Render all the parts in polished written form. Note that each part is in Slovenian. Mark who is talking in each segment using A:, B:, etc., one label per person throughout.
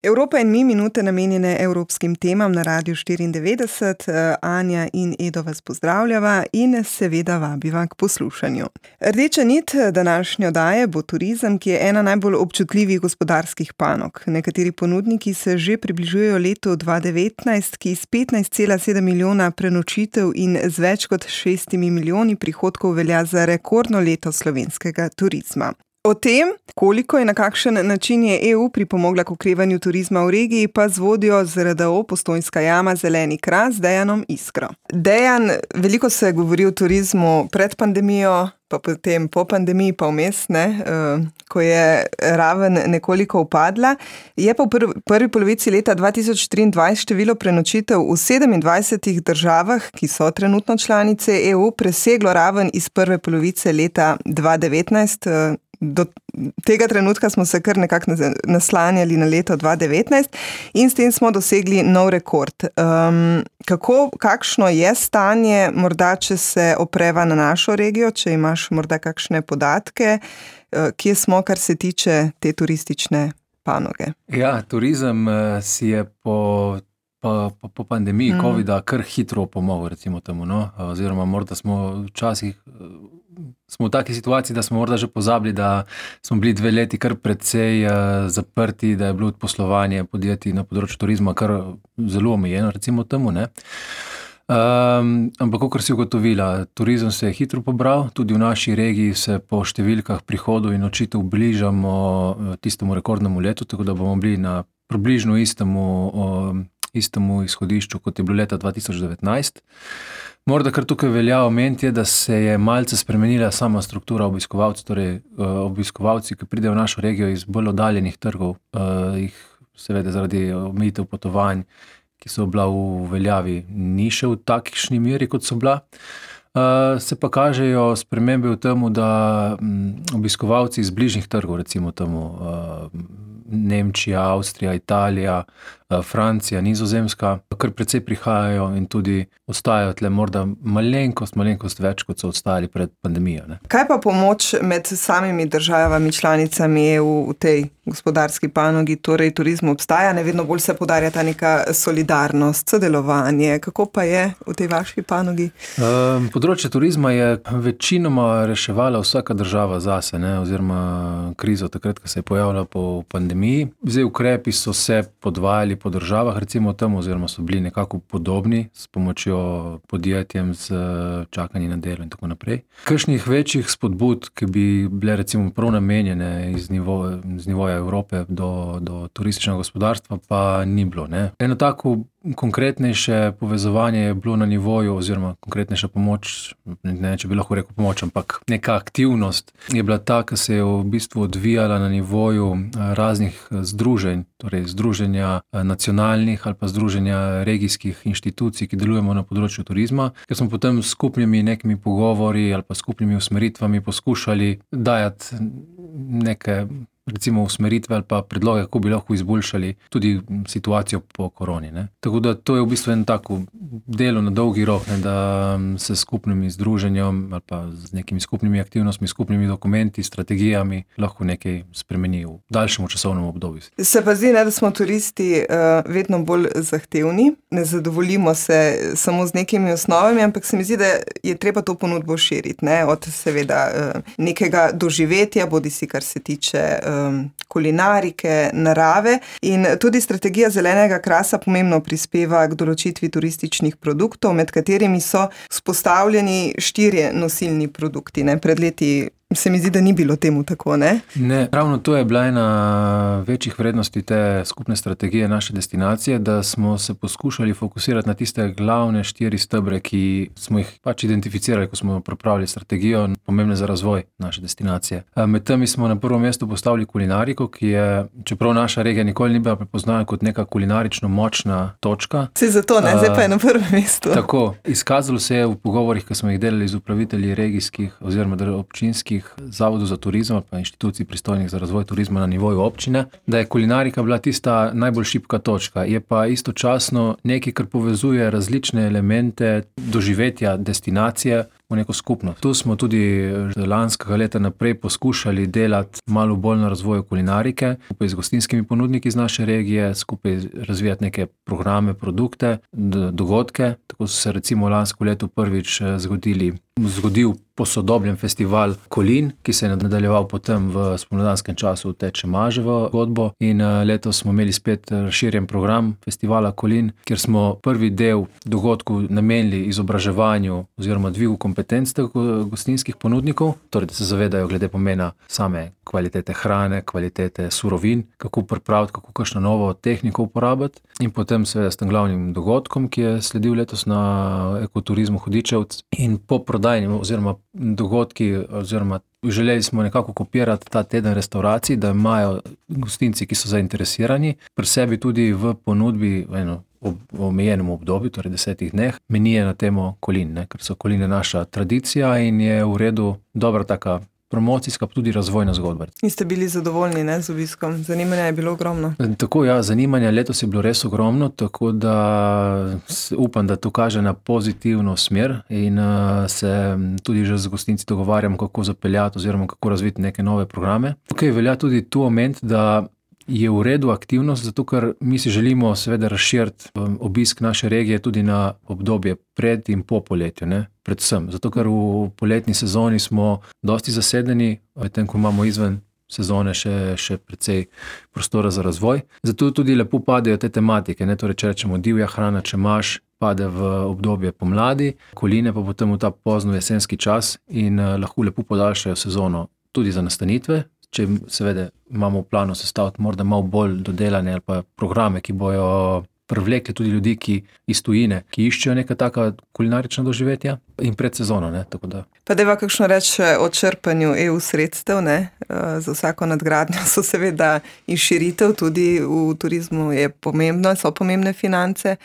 A: Evropa in mi, minute namenjene evropskim temam na Radiu 94. Anja in Edo vas pozdravljava in seveda vabiva k poslušanju. Rdeča nit današnje oddaje bo turizem, ki je ena najbolj občutljivih gospodarskih panog. Nekateri ponudniki se že približujejo letu 2019, ki s 15,7 milijona prenočitev in z več kot 6 milijoni prihodkov velja za rekordno leto slovenskega turizma. O tem, koliko in na kakšen način je EU pripomogla k okrevanju turizma v regiji, pa z vodjo ZRDO Postojnska jama Zeleni kras Dejanom Iskro. Dejan, veliko se govori o turizmu pred pandemijo, pa potem po pandemiji, pa vmes, ko je raven nekoliko upadla. Je pa v prvi polovici leta 2023 število prenočitev v 27 državah, ki so trenutno članice EU, preseglo raven iz prve polovice leta 2019. Do tega trenutka smo se kar nekako naslanjali na leto 2019 in s tem smo dosegli nov rekord. Kakšno je stanje, morda če se opreva na našo regijo, če imaš morda kakšne podatke, kje smo, kar se tiče te turistične panoge?
B: Ja, turizem si je po pandemiji covida kar hitro pomogel, recimo temu, oziroma morda smo včasih v taki situaciji, da smo morda že pozabili, da smo bili 2 leti kar precej zaprti, da je bilo poslovanje podjetij na področju turizma kar zelo omejeno, recimo temu, ampak kakor si ugotovila, turizem se je hitro pobral, tudi v naši regiji se po številkah prihodov in nočitev bližamo tistemu rekordnemu letu, tako da bomo bili na približno istemu izhodišču, kot je bilo leta 2019. Morda kar tukaj velja omeniti je, da se je malce spremenila sama struktura obiskovalcev, torej obiskovalci, ki pridejo v našo regijo iz bolj oddaljenih trgov, jih seveda zaradi omejitev potovanj, ki so bila v veljavi, ni še v takšni meri, kot so bila. Se pa kažejo spremembe v temu, da obiskovalci iz bližnjih trgov, recimo temu Nemčija, Avstrija, Italija, Francija, Nizozemska, kar precej prihajajo in tudi ostajajo tle morda malenkost več, kot so ostajali pred pandemijo.
A: Kaj pa pomoč med samimi državami, članicami EU v tej gospodarski panogi, torej turizmu obstaja, vedno bolj se poudarja ta neka solidarnost, sodelovanje, kako pa je v tej vaši panogi?
B: Področje turizma je večinoma reševala vsaka država zase, oziroma krizo takrat, ko se je pojavila po pandemiji. Zdaj ukrepi so se podvajali po državah, recimo tam, oziroma so bili nekako podobni s pomočjo podjetjem z čakanjem na delo in tako naprej. Kakšnih večjih spodbud, ki bi bile recimo prav namenjene z nivoja Evrope do turističnega gospodarstva, pa ni bilo. Eno tako konkretnejše povezovanje je bilo na nivoju, oziroma konkretnejša pomoč, ne če bi lahko rekel pomoč, ampak neka aktivnost je bila ta, ki se je v bistvu odvijala na nivoju raznih združenj, torej združenja nacionalnih ali pa združenja regijskih inštitucij, ki delujemo na področju turizma, ker smo potem s skupnimi nekimi pogovori ali pa skupnimi usmeritvami poskušali dajati neke recimo usmeritve ali pa predloge, kako bi lahko izboljšali tudi situacijo po koroni. Tako da to je v bistvu en tako delo na dolgi rok, da se skupnimi združenjem ali pa z nekimi skupnimi aktivnostmi, skupnimi dokumenti, strategijami lahko nekaj spremeni v daljšem časovnem obdobju.
A: Se pa zdi, da smo turisti vedno bolj zahtevni, ne zadovoljimo se samo z nekimi osnovami, ampak se mi zdi, da je treba to ponudbo širiti, od seveda nekega doživetja, bodisi kar se tiče kulinarike, narave, in tudi strategija zelenega krasa pomembno prispeva k določitvi turističnih produktov, med katerimi so vzpostavljeni 4 nosilni produkti. Pred leti se mi zdi, da ni bilo temu tako,
B: Ne, ravno to je bila ena večjih vrednosti te skupne strategije naše destinacije, da smo se poskušali fokusirati na tiste glavne 4 stebre, ki smo jih pač identificirali, ko smo pripravili strategijo, pomembne za razvoj naše destinacije. Med temi smo na prvo mesto postavili kulinariko, ki je, čeprav naša regija nikoli ni bila prepoznana kot neka kulinarično močna točka.
A: Se zato zdaj pa je na prvem mestu.
B: Tako, izkazalo se je v pogovorih, ki smo jih delali z upravitelji regijskih oziroma občinskih zavodov za turizem pa inštitucij pristojnih za razvoj turizma na nivoju občine, da je kulinarika bila tista najbolj šibka točka. Je pa istočasno nekaj, kar povezuje različne elemente doživetja destinacije, v neko skupnost. Tu smo tudi lanskega leta naprej poskušali delati malo bolj na razvoju kulinarike, skupaj z gostinskimi ponudniki iz naše regije, skupaj razvijati neke programe, produkte, dogodke. Tako so se recimo lansko leto prvič zgodil posodobljen festival Kolin, ki se je nadaljeval potem v spomladanskem času Teče Maževo godbo, in letos smo imeli spet razširjen program festivala Kolin, kjer smo prvi del dogodku namenili izobraževanju oziroma dvigu kompetenc gostinskih ponudnikov, torej da se zavedajo glede pomena same kvalitete hrane, kvalitete surovin, kako pripraviti, kako kakšno novo tehniko uporabiti, in potem seveda s tem glavnim dogodkom, ki je sledil letos na Ekoturizmu Hudičevec, in po prodajni oziroma dogodki oziroma želeli smo nekako kopirati ta teden restauracij, da imajo gostinci, ki so zainteresirani, pri sebi tudi v ponudbi v omejenem obdobju, torej 10 dneh, menije na temo Kolin, ker so Koline naša tradicija in je v redu dobra taka promocijska, pa tudi razvojna zgodba.
A: In ste bili zadovoljni, ne, z obiskom? Zanimanja je bilo ogromno.
B: Tako, ja, zanimanja letos je bilo res ogromno, tako da upam, da to kaže na pozitivno smer in se tudi že z gostinci dogovarjamo, kako zapeljati oziroma kako razviti neke nove programe. Tukaj velja tudi tu omeniti, da je v redu aktivnost, zato ker mi si želimo seveda razširiti obisk naše regije tudi na obdobje pred in po poletju, ne? Predvsem. Zato ker v poletni sezoni smo dosti zasedeni, medtem ko imamo izven sezone še precej prostora za razvoj. Zato tudi lepo padejo te tematike, ne? Torej, če rečemo divja hrana, če imaš, pade v obdobje pomladi, Koline pa potem v ta pozno jesenski čas in lahko lepo podaljšajo sezono tudi za nastanitve. Če seveda imamo v planu sestaviti morda malo bolj dodelane ali pa programe, ki bojo privlekli tudi ljudi, ki iz tujine, ki iščejo neka taka kulinarična doživetja in pred sezono, ne, tako da.
A: Pa dajva kakšno reči o črpanju EU sredstev, ne, za vsako nadgradnjo so seveda in širitev, tudi v turizmu je pomembno, so pomembne finance.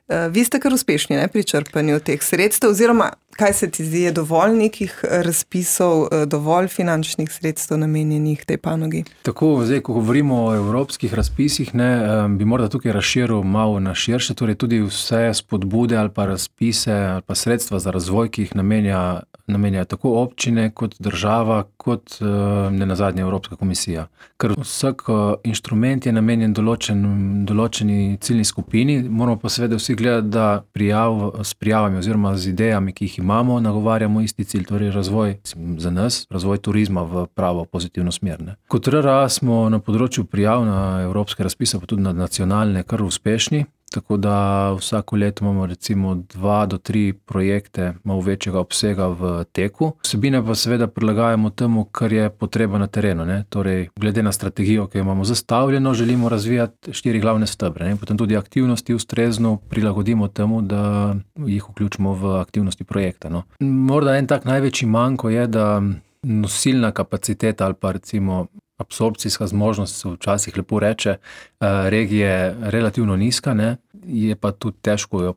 A: Vi ste kar uspešni, ne, pri črpanju teh sredstev, oziroma kaj se ti zdi, je dovolj nekih razpisov, dovolj finančnih sredstev namenjenih tej panogi?
B: Tako, zdaj, ko govorimo o evropskih razpisih, ne, bi morda tukaj razširil malo na širše, torej tudi vse spodbude ali pa razpise ali pa sredstva za razvoj, ki jih namenjajo tako občine kot država, kot nenazadnje Evropska komisija. Ker vsak inštrument je namenjen določeni ciljni skupini, moramo pa seveda vsi gledati, da s prijavami oziroma z idejami, ki jih imamo, nagovarjamo isti cilj, torej razvoj za nas, razvoj turizma v pravo pozitivno smer. Ne. Kot RRA smo na področju prijav na evropske razpise, pa tudi na nacionalne, kar uspešni, tako da vsako leto imamo recimo 2 do 3 projekte malo večjega obsega v teku. Vsebine pa seveda prilagajamo temu, kar je potreba na terenu, ne. Torej, glede na strategijo, ki jo imamo zastavljeno, želimo razvijati 4 glavne stebre, ne. Potem tudi aktivnosti ustrezno prilagodimo temu, da jih vključimo v aktivnosti projekta, no. Morda en tak največji manko je, da nosilna kapaciteta ali pa recimo absorpcijska zmožnost, se včasih lepo reče, regije relativno nizka, ne, je pa tudi težko jo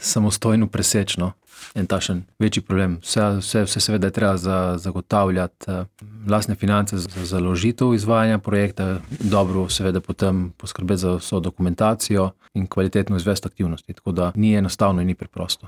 B: samostojno preseči, no. En takšen večji problem. Vse seveda je treba zagotavljati lastne finance za založitev izvajanja projekta, dobro seveda potem poskrbeti za vso dokumentacijo in kvalitetno izvesti aktivnosti, tako da ni enostavno in ni preprosto.